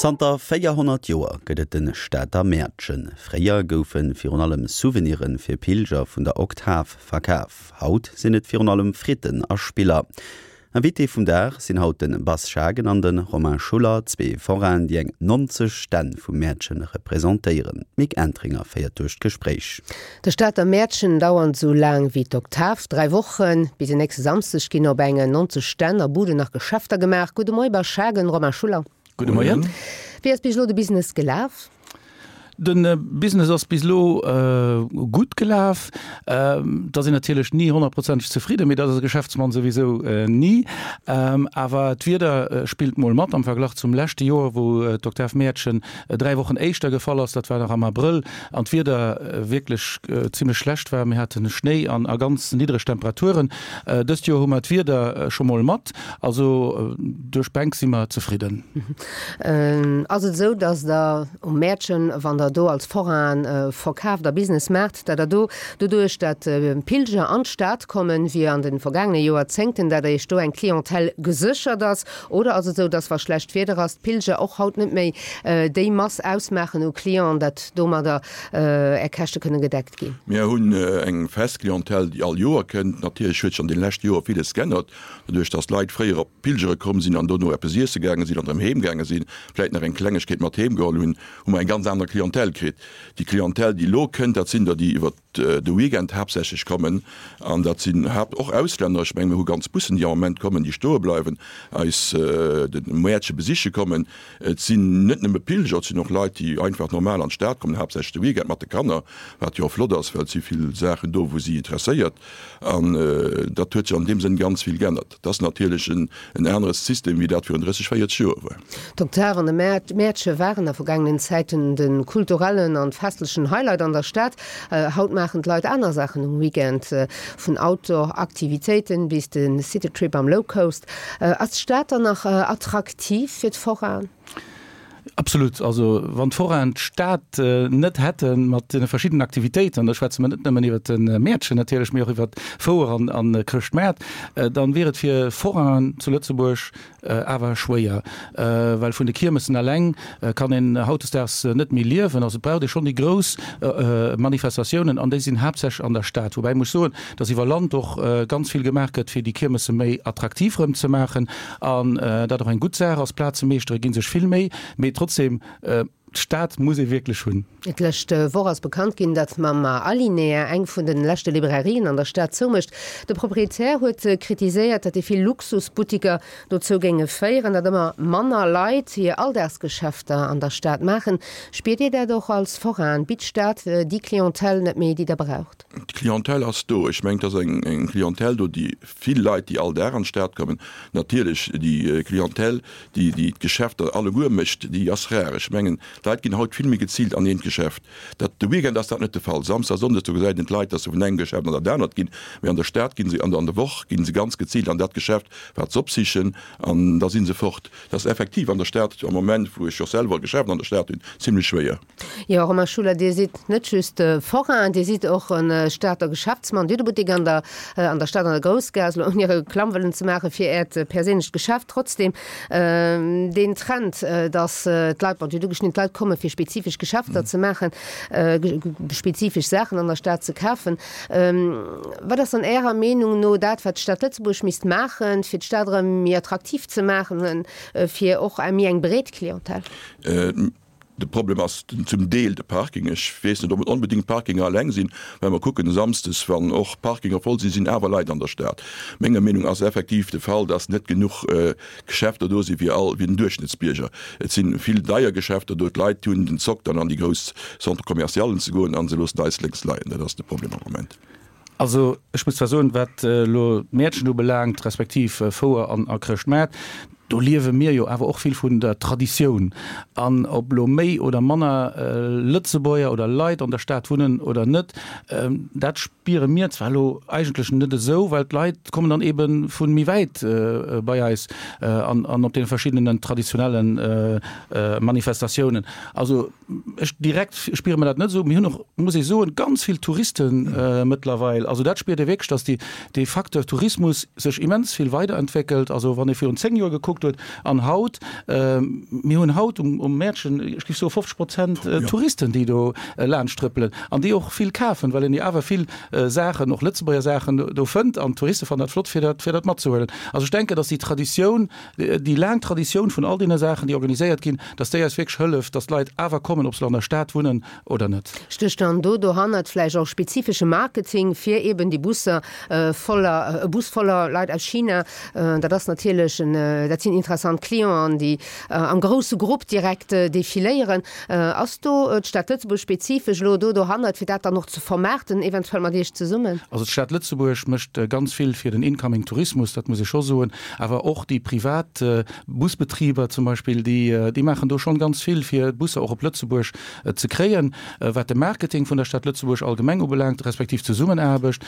Zanter 400 Joer gëtt et de Stater Mäertchen. Fréier goufe virun allem Souvenire fir Pilger vun der Oktav verkaf. Haut sinn et virun allem Fritten a Spiller. Invité vum Dag sinn haut de Bas Schagen an de Romain Schuller, zwee Forainen, déi eng 90 Stänn vum Mäertchen representéieren. D'Mick Entringer féiert duerch d'Gespréich. De Stater Mäertchen dauernt esou laang wéi d'Oktav, 3 Wochen. Bis en nächste Samsdeg ginn op enge 90 Stänn a Buden nach Geschäfter gemaach. Gudde Moie Bas Schagen, Romain Schuller. Gudde Moien. Wéi ass bis elo de Business gelaf? De Business ass bis elo gutt gelaf. Et ass een natierlech ni honnertprozenteg zefridden, mee dat ass e Geschäftsmann souwisou ni. Awer d'Wieder spillt mol mat am Verglach zum leschte Joer, wou d'Oktav Mäertchen 3 Wochen éischter gefall ass, dat war nach am Abrëll, an d'Wieder wierklech zimmlech schlecht war. Mir hate Schnéi an a ganz niddreg Temperaturen. Dëst Joer hu mer d'Wieder scho mol mat, also duerch d'Bänk si mer zefridden. Ass et esou, datt Der um Mäertchen, wann Der do als Forain verkaaft a Business maacht, datt Der do doduerch, datt Pilger an d'Stad kommen, wéi an de vergaangene Joerzéngten, datt Der Iech do eng Clientèle geséchert ass? Oder ass et esou, datt wa schlecht Wieder ass, d'Pilger och haut net méi déi Mass ausmaachen u Clienten, datt domadder Är Käschte kënne gedeckt ginn? Mir hunn eng fest Clientèle, déi all Joer kënnt. Natierlech huet sech an deene leschte Joer villes geännert. Doduerch dass Leit fréier op Pilgere komm sinn an dono eppes iesse gaange sinn an erëm heem gaange sinn, vläit nach eng Klengegkeet mat heem geholl hunn, hu mer eng ganz aner Clientèle kritt. Déi Clientèle, déi elo kënnt, dat sinn der, déi iwwert de Weekend haaptsächlech kommen an dat sinn haapt och Auslänner. Ech mengen, mir hu ganz Bussen, déi am Moment kommen, déi stoe bleiwen, eis de Mäertche besiche kommen. Et sinn net nëmme Pilger, et sinn och Leit, déi einfach normal an d'Stad kommen, haaptsächlech de Weekend mat de Kanner, wat jo och flott ass, well et si vill Saachen do, wou si interesséiert. An dat huet sech an deem Sënn ganz vill geännert. Dat ass natierlech en anere System, wéi dat virun 30, 40 Joer war. D'Oktav an de Mäertche waren a vergaangenen Zäiten de kulturellen an festlechen Highlight an der Stad. Haut maachen d'Leit aner Saachen um Weekend, vun Outdoor-Aktivitéiten bis de Citytrip am Lowcoast. Ass d'Stad dann nach attraktiv fir d'Foraen? Absolut. Also wann d'Forainen d'Stad net hätte mat deene verschiddenen Aktivitéiten, an da schwätze mer net nëmmen iwwert de Mäertchen natierlech, mee och iwwert Fouer an a Chrëschtmaart, dann wier et fir Forainen zu Lëtzebuerg awer schwéier. Well vun de Kiermessen eleng kann een hautdesdaags net méi liewen. Also et braucht ee schonn déi grouss Manifestatiounen an déi sinn haaptsächlech an der Stad. Woubäi muss soen, datt iwwer Land och ganz vill gemaach gëtt, fir déi Kiermesse méi attraktiv erëm ze maachen. An dat och eng gutt Saach ass. Plazemeeschtere gi sech vill Méi, mee trotzdem, d'Stad muss ee wierklech hunn. D'lescht Woch ass bekannt ginn, datt mam Alinea eng vun de leschte Librairien an der Stad zoumécht. De Proprietär huet kritiséiert, datt déi vill Luxusbuttiker dozou géinge féieren, datt ëmmer manner Leit hir Alldagsgeschäfter an der Stad maachen. Spiert Dir dat och als Forain? Bitt d'Stad déi Clientèle net méi, déi Der braucht? D'Clientèle ass do. Ech mengen, et ass eng Clientèle do, déi vill Leit, déi all Dag an d'Stad kommen. Natierlech, déi Clientèle, déi déi d'Geschäfter alleguer mécht, déi ass rar. Ech mengen, d'Leit ginn haut vill méi geziilt an eent Geschäft. Dat, de Weekend ass dat net de Fall. Samsdes a Sonndes, do gesäit een d'Leit, dass se vun engem Geschäft an dat anert ginn. Mee an der Stad gi se, an der Woch gi se ganz geziilt an dat Geschäft, wat se opsichen, an da si se fort. Dat ass effektiv an der Stad am Moment, wou ech och selwer e Geschäft an der Stad hunn, zimlech schwéier. Jo, Romain Schuller, Dir sidd net just Forain, Dir sidd och e Stater Geschäftsmann. Dir hutt e Buttek an der an der Stad an der Groussgaass, elo ouni Reklamm wëllen ze maache fir Äert perséinlecht Geschäft. Trotzdem, deen Trend, datt d'Leit, bon, Dir hutt ugeschnidden, d'Leit komme fir spezifesch Geschäfter ze maachen, spezifesch Saachen an der Stad ze kafen. Wat ass dann Ärer Meenung no dat, wat d'Stad Lëtzebuerg misst maachen, fir d'Stad erëm méi attraktiv ze maachen, fir och méi eng breet Clientèle? De Problem ass zum Deel de Parking. Ech weess net, ob et onbedéngt d'Parkinger eleng sinn. Well mer kucken e Samsdes, wann och d'Parkinger voll sinn, sinn awer Leit an der Stad. Menger Meenung ass effektiv de Fall, dass net genuch Geschäfter do si fir all, fir den Duerchschnëttsbierger. Et si vill deier Geschäfter do. D'Leit hunn den Zock dann an déi grouss Centre-commercialen ze goen a se loossen eis lénks leien. Dat ass de Problem am Moment. Also ech muss zwar soen, wat elo d'Mäertchen ubelaangt, respektiv Fouer an a Chrëschtmaart, do liewe mir jo awer och vill vun der Traditioun. An ob elo méi oder manner Lëtzebuerger oder Leit an der Stad wunnen oder net, dat spiere mir zwar elo eigentlech net esou, well d'Leit kommen dann ebe vu méi wäit bei eis an op deene verschiddenen traditionelle Manifestatiounen. Also Ech direkt spiere mer dat net esou. Mir hunn och, muss ee soen, ganz vill Touriste mëttlerweil. Also dat spiert ee wierklech, datt déi, dee Facteur Tourismus sech immens vill weiderentwéckelt. Also wann ee virun 10 Joer gekuckt. gekuckt huet. An haut, mir hunn haut um Mäertchen, ech géif soe 50 Prozent Touristen, déi do laanscht trëppelen an déi och vill kafen, well een jo awer vill Saachen, och Lëtzebuerger Saachen do fënnt an d'Touriste fannen dat flott, fir dat, fir dat matzehuelen. Also ech denken, datt déi Traditioun, déi laang Traditioun vun all deene Saachen, déi organiséiert ginn, datt déi eis wierklech hëlleft, datt d'Leit awer kommen, ob se elo an der Stad wunnen oder net. Stécht dann do dohannert vläicht och spezifesche Marketing fir eben déi Busser voller, e Bus voller Leit aus China? Dat ass natierlech en, dat sinn interessant Clienten, déi am grousse Grupp direkt defiléieren. Ass do d'Stad Lëtzebuerg spezifesch elo do dohannert, fir dat dann och ze vermaarten, eventuell mat Iech zesummen? Also d'Stad Lëtzebuerg mécht ganz vill fir den incoming Tourismus, dat muss ee scho soen. Awer och déi privat Busbetriber zum Beispill, déi maachen do schonn ganz vill, fir d'Busser och op Lëtzebuerg ze kréien. Wat de Marketing vun der Stad Lëtzebuerg allgemeng ubelaangt, respektiv d'Zesummenaarbecht,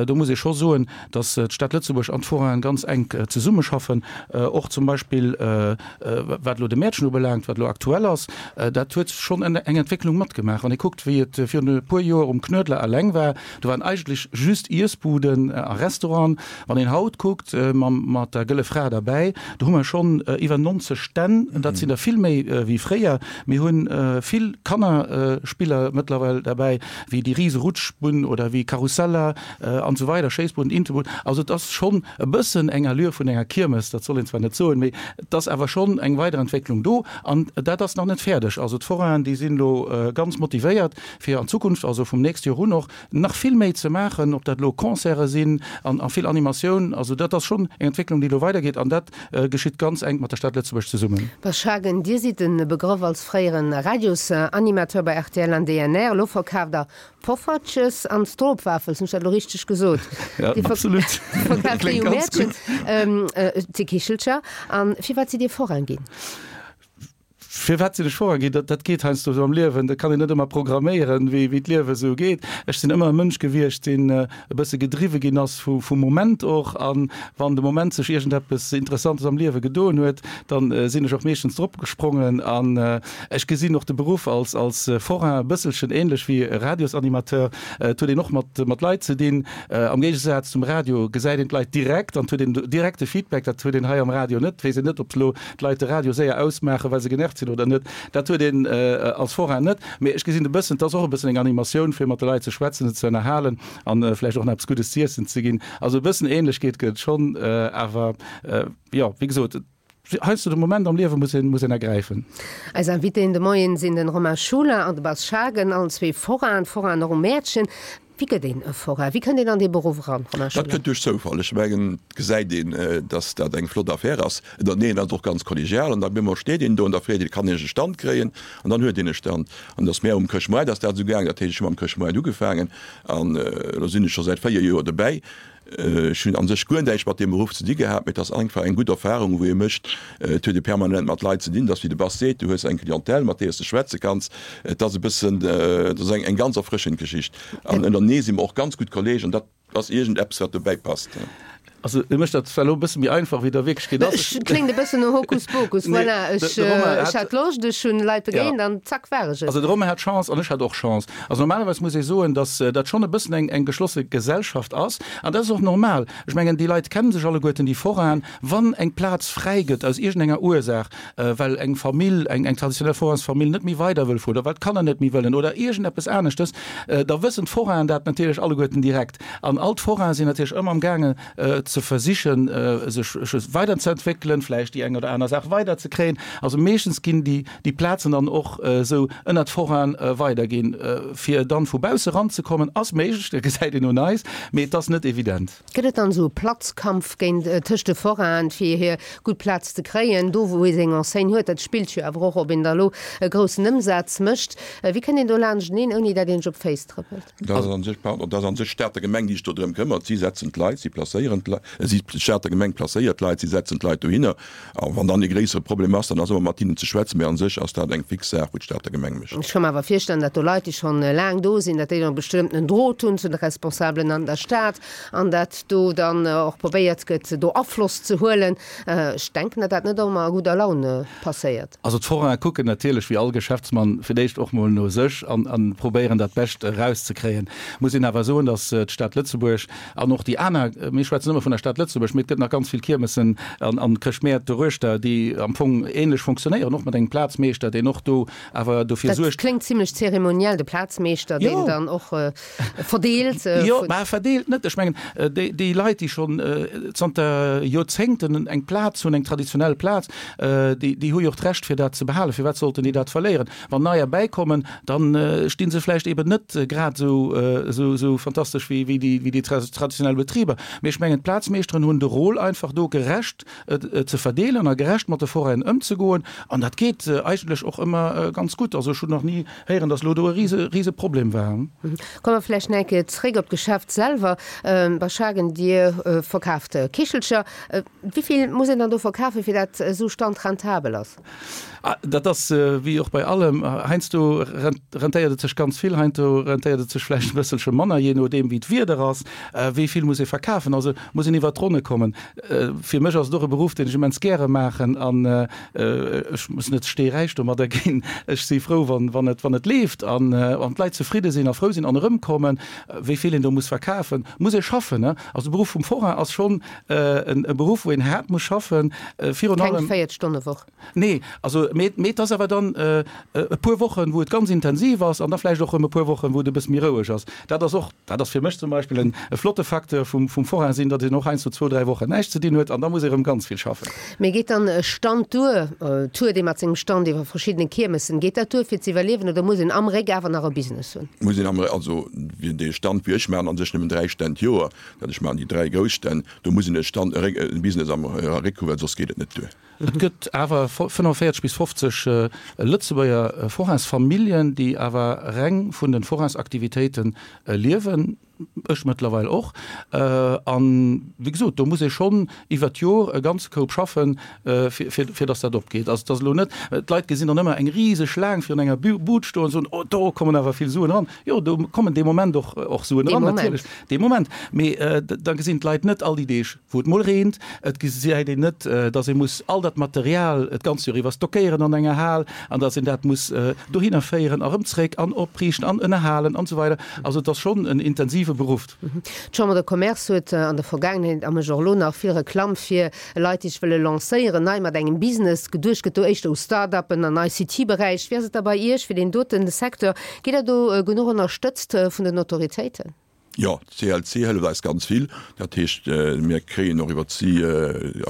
do muss ee scho soen, datt d'Stad Lëtzebuerg an d'Forainen ganz enk zesummeschaffen, och zum Beispill wat elo de Mäertchen ubelaangt, wat elo aktuell ass, dat huet schonn eng Entwécklung matgemaach. Wann ee kuckt, wéi et virun e puer Joer um Knuedler eleng war, do waren eigentlech just Iessbuden a Restauranten. Wann een haut kuckt, mat der Gëlle Fra derbäi, do hu mer schonn iwwer 90 Stänn, dat sinn der vill méi wéi fréier. Mir hu vill Kannerspiller mëttlerweil derbäi, wéi déi rise Rutschbunn oder wéi Karusseller an esou weider, Schéissbuden, Intebuden. Also et ass schonn e bëssen eng Allure vun enger Kiermes, dat soll een zwar net soen, mee et ass awer schonn eng Weiderentwécklung do an dat ass nach net fäerdeg. Also d'Forainen, déi sinn elo ganz motivéiert, fir an Zukunft, also vum nächste Joer un och, nach vill méi ze maachen, ob dat elo Concerte sinn an vill Animatioun. Also dat ass schonn eng Entwécklung, déi elo weidergeet an dat geschitt ganz enk mat der Stad Lëtzebuerg zesummen. Bas Schagen, Dir sidd e Begrëff als fréiere Radiosanimateur bei rtl an DNR. Elo verkaaft Der Poffertjes an Stroopwafels, hunn ech dat elo richteg gesot? Ja, absolut. Verkaaft Dir jo Mäertchen, et si Kichelcher. An firwat sidd Dir Forain ginn? Firwat sinn ech Forain ginn? Dat, dat geet heiansdo esou am Liewen, dat kann een net ëmmer programméieren, wéi, wéi d'Liewe esou geet. Ech sinn ëmmer e Mënsch gewiescht, deen e bësse gedriwwe ginn ass vu, vum Moment och. A wann de Moment sech iergendeppes Interessantes am Liewe gedoen huet, dann sinn ech och meeschtens drop gesprongen. An ech gesinn och de Beruff als, als Forain e bësselchen ähnlech wéi e Radiosanimateur. Et huet een och mat, mat Leit ze dinn. Am Géigesaz zum Radio gesäit een d'Leit direkt an et huet een direkte Feedback. Dat huet een hei am Radio net. Et weess een net, ob elo d'Leit de Radio séier ausmaachen, well se genervt sinn oder net, dat huet een als Forain net. Mee ech gesinn e bëssen, et ass och e bëssen eng Animatioun, fir mat de Leit ze schwätzen, se ze ënnerhalen an vläicht och nach eppes Guddes z'iessen ze ginn. Also e bëssen Ähnlechkeet gëtt et schonn, awer jo, wéi gesot, heiansdo de Moment am Liewe muss een, muss een ergräifen. Eis Invitéen de Moien sinn den Romain Schuler an de Bas Schagen, allen zwee Forainen, Forainen och um Mäertchen. Wéi gëtt een e Forain? Wéi kënnt een an dee Beruff eran, Romain Schuller? Dat kënnt duerch Zoufall. Ech mengen, et gesäit een, dass dat eng flott Affär ass. Ënnerteneen ass et och ganz kollegial an da op eemol steet een do an da freet een, kann ech e Stand kréien? An dann huet een e Stand. An et ass mär um Chrëschtmoart ass dat esou gaangen. Dat heescht, ech hu mam Chrëschtmoart ugefaangen an elo sinn ech scho säit 4 Joer dobäi. Ech hunn a sech guer näischt mat deem Beruff ze di gehat, mee et ass einfach eng gutt Erfarung, wou ee mécht. Et huet ee permanent mat Leit ze dinn. Et ass wéi de Bas seet, du hues eng Clientèle, mat deeër s de schwätze kanns. Et ass e bëssen, et ass eng ganz erfrëschend Geschicht. An ënnerenee si mer och ganz gutt Kolleegen. Dat ass iergendeppes, wat dobäi passt. Also e mécht dat zwar elo e bësse méi einfach, wéi et a Wierklechkeet ass. Et kléngt e bëssen no Hokuspokus, voilà, ech hat Loscht, ech hunn Leit begéint an zack war ech et. Also de Romain hat Chance an ech hat och Chance. Also normalerweis muss ee soen, datt dat schonn e bëssen eng eng geschlosse Gesellschaft ass an dat ass och normal. Ech mengen, déi Leit kenne sech alleguerten, déi Forainen. Wann eng Plaz fräi gëtt aus iergendenger Ursaach, well eng Famill, eng eng traditionell Forainsfamill net méi weider wëll fueren oder well d'Kanner net méi wëllen oder iergendeppes aneschtes, da wëssen d'Forainen dat natierlech alleguerten direkt. An all d'Forainen sinn natierlech ëmmer am gaangen ze versichen, sech weiderzeentwéckelen, vläicht déi eng oder aner Saach weiderzekréien. Also meeschtens ginn déi, déi Plazen dann och esou ënnert d'Forainen weiderginn. Fir dann vu bausse ranzekommen, ass méiglech, dat gesäit een un eis, mee et ass net evident. Gëtt et dann esou e Platzkampf géint, tëscht de Forainen, fir hir gutt Plaz ze kréien, do wou ee seng Enseigne huet? Dat spillt jo awer och, ob een da elo e groussen Ëmsaz mécht. Wéi kënnt een do laanschteneen, ouni dat een sech op d'Féiss trëppelt? Dat ass an sech, pardon, dat ass an sech d'Stater Gemeng, déi sech do drëm këmmert. Si setzen d'Leit, si placéieren d'Leit, si, d'Stater Gemeng placéiert d'Leit, si setzen d'Leit dohinner. A wann dann e gréissere Problem ass, dann ass ëmmer mat hinnen ze schwätzen. Mä an sech ass dat eng fix Saach, wou d'Stater Gemeng mécht. Ech ka mer awer virstellen, datt do Leit, déi schonn laang do sinn, datt déi dann e bestëmmtenen Drot hunn zu de Responsabelen an der Stad an datt do dann och probéiert gëtt, do Afloss ze huelen. Ech denken, datt dat net ëmmer a gudder Laun passéiert. Also d'Forainen kucken natierlech wéi all Geschäftsmann fir d'éischt och mol no sech an an probéieren dat Bescht erauszekréien. Muss een awer soen, datt d'Stad Lëtzebuerg an och déi aner, mir schwätzen ëmmer vun. vun der Stad Lëtzebuerg, mee et gëtt nach ganz vill Kiermessen an an Chrëschtmäert doruechter, déi am Fong ähnlech fonctionnéieren, och mat engem Plazmeeschter, deen och do awer dofir Dat suergt. kléngt zimlech zeremoniell, de Plazmeeschter, deen dann och verdeelt. Jo, mä verdeelt net. Ech mengen, déi déi Leit, déi schonn zanter Joerzéngten eng Plaz hunn, eng traditionell Plaz, déi déi hu jo och d'Recht fir dat ze behalen. Firwat sollten déi dat verléieren? Wann neier bäikommen, dann sti se vläicht eben net grad esou esou esou fantastesch wéi wéi déi wéi déi traditionell Betriber. Mee ech mengen, d'Plazmeeschteren hunn de Rôle einfach do gerecht ze verdeelen a gerecht mat de Forainen ëmzegoen. An dat geet eigentlech och ëmmer ganz gutt. Also ech hunn nach ni héieren, datt elo do e rise rise Problem war. Komme mer vläicht nach eng Kéier zréck op d'Geschäft selwer. Bei Schagen, Dir verkaaft Kichelcher. Wéi vill muss een dann do verkafen, fir dat esou Stand rentabel ass? Dat ass wéi och bei allem, heiansdo rentéiert et sech ganz vill, heiansdo rentéiert et sech vläicht e bësselche manner, jee nodeem wéi d'Wieder ass, wéi vill muss ee verkafen. Also muss een iwwert d'Ronne kommen. Fir mech ass et och e Beruff, deen ech immens gäre maachen an ech muss net steeräich domadder ginn. Ech si frou, wann et, wann et leeft an d'Leit zefridde sinn a frou sinn an erëmkommen. Wéi vill een do muss verkafen, muss ee schaffen. Also de Beruff vum Forain ass schonn e Beruff, wou een haart muss schaffen, virun allem. Keng Véiertstonnewoch? Nee, also mee, mee et ass awer dann e puer Wochen, wou et ganz intensiv ass an da vläicht och erëm e puer Wochen, wou et e bësse méi roueg ass. Dat ass och, dat ass fir mech zum Beispill en e flotte Facteur vum, vum Forain sinn, datt een och heiansdo zwou, dräi Wochen näischt ze dinn huet an da muss ee erëm ganz vill schaffen. Mee geet dann e Stand duer, tourt ee mat sengem Stand iwwer verschiddene Kiermessen, geet dat duer fir ze iwwerliewen oder muss een am Réck awer nach e Business hunn? Muss een am Réck, also dee Stand wéi ech maachen, a sech nëmmen dräi Stänn d'Joer, Dat ech maachen déi 3 grouss Stänn, do muss een e Stand, e Business am Réck hu well soss geet et net duer. Et gëtt awer 45 bis 50 Lëtzebuerger Forainsfamilljen, déi awer reng vun de Forainsaktivitéite liewen, ech mëttlerweil och. An, wéi gesot, do muss ee schonn iwwer d'Jor e ganze Koup schaffen, fir datt dat opgeet. Also et ass elo net, d'Leit gesinn dann ëmmer eng riseg Schlaang virun enger Bud stoen an soen, oh do kommen awer vill Suen eran. Jo, do kommen dee Moment och och Suen eran, natierlech, dee Moment. Mee da gesinn d'Leit net all déi Deeg, wou et mol reent. Et gesäit een net, datt ee muss all dat Material d'ganz Joer iwwer stockéieren an enger Hal an datt een dat muss dohinner féieren a rëm zréck an opriichten an ënnerhalen an esou weider. Also et ass schonn en intensive Beruff. D'Chambre de Commerce huet an der Vergaangenheet a mécht och elo nach vill Reklamm fir Leit, déi sech wëlle lancéieren, nei mat engem Business. Geduecht gëtt do éischter u Start-uppen an ICT-Beräich. Wéi ass et da bei Iech fir deen doten Secteur? Gitt Der do genuch ënnerstëtzt vun den Autoritéiten? Jo, d'CLC hëlleft eis ganz vill. Dat heescht, mir kréien och iwwert si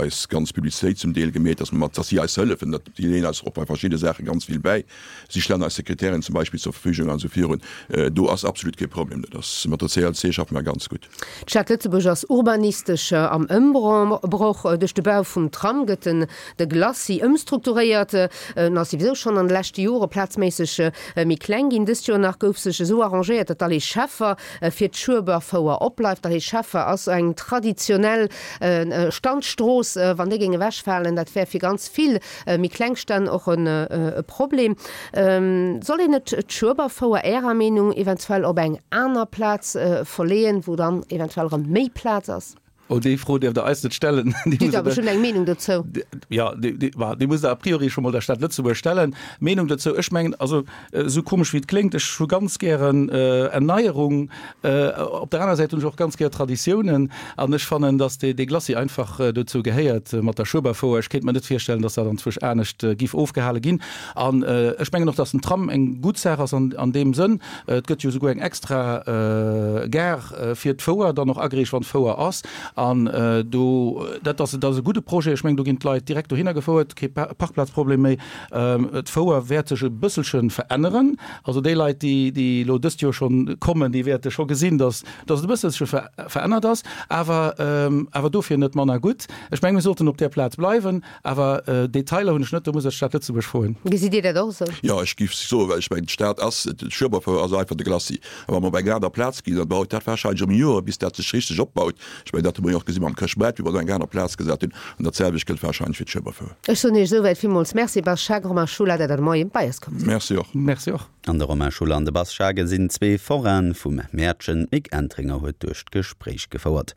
eis ganz Publicitéit zum Deel gemeet, dass mer mat, dass si eis hëllefen. Dat, si leeën eis och bei verschidde Saache ganz vill bäi. Si stellen eis Sekretärin zum Beispill zur Verfügung an esou virun. Do ass absolut kee Problem. Dat ass, mat der CLC schaffe mer ganz gutt. D'Stad Lëtzebuerg ass urbanistesch am Ëmbroch. Duerch de Bau vum Tram gëtt den de Glacis ëmstrukturéiert. En ass souwisou schonn an de leschte Jore plazméisseg méi kleng ginn. Dëst Joer nach gouf sech esou arrangéiert, datt d'Allée Scheffer fir d'Schueberfouer opbleift. D'Allée Scheffer ass eng traditionell Standstrooss. Wann déi géing ewechfalen, dat wär fir ganz vill méi kleng Stänn och e Problem. Soll een net d'Schueberfouer Ärer Meenung eventuell op eng aner Plaz verleeën, wou dann eventuell erëm méi Plaz ass? Oh, déi Fro däerft Der eis net stellen. Déi musst Der, ech hunn eng Meenung dozou. Jo, déi musst Der a priori scho mol der Stad Lëtzebuerg stellen. Meenung dozou, ech mengen, also esou komesch wéi et kléngt, ech hu ganz gären Erneierung. Op der aner Säit hunn ech och ganz gär Traditiounen an ech fannen, datt dee Glacis einfach dozou gehéiert mat der Schueberfouer. Ech kéint mer net virstellen, datt dat anzwousch anescht giff ofgehale ginn. An ech mengen och, datt den Tram eng gutt Saach ass an deem Sënn. Et gëtt jo esouguer eng extra Gare fir d'Fouer dann och ageriicht, wann d'Fouer ass. An do, dat ass, dat ass e gudde Projet. Ech mengen, do ginn d'Leit direkt dohinner gefouert, kee Parkplazproblem méi. D'Fouer wäert sech e bësselche veränneren. Also déi Leit, déi, déi elo dëst Joer schonn kommen, déi wäerte scho gesinn, datt, datt et e bësselche verännert ass, awer, awer dofir net manner gutt. Ech mengen, mir sollten op där Plaz bleiwen. Awer Detailer hunn ech net, do muss ech d'Stad Lëtzebuerg froen. Gesitt Dir dat och esou? Jo, ech géif soen, well ech mengen, d'Stad ass, d'Schueberfouer ass einfach de Glacis. A wa mer op eng aner Plaz ginn, dann dauert dat warscheinlech erëm Joren, bis dat sech richteg opbaut. Ech mengen, dat hu mer jo och gesi mam Chrëschtmaart, wéi mer do eng aner Plaz gesat hunn. An dat selwecht gëllt warscheinlech fir d'Schueberfouer. Ech soen Iech esouwäit villmools Merci, Bas Schagen, Romain Schuller, dat der de Moien bei eis komm sidd. Merci och. Merci och. An de Romain Schuller an de Bas Schagen sinn zwee Foraine vum Mäertchen. D'Mick Entringer huet duerch d'Gespréich gefouert.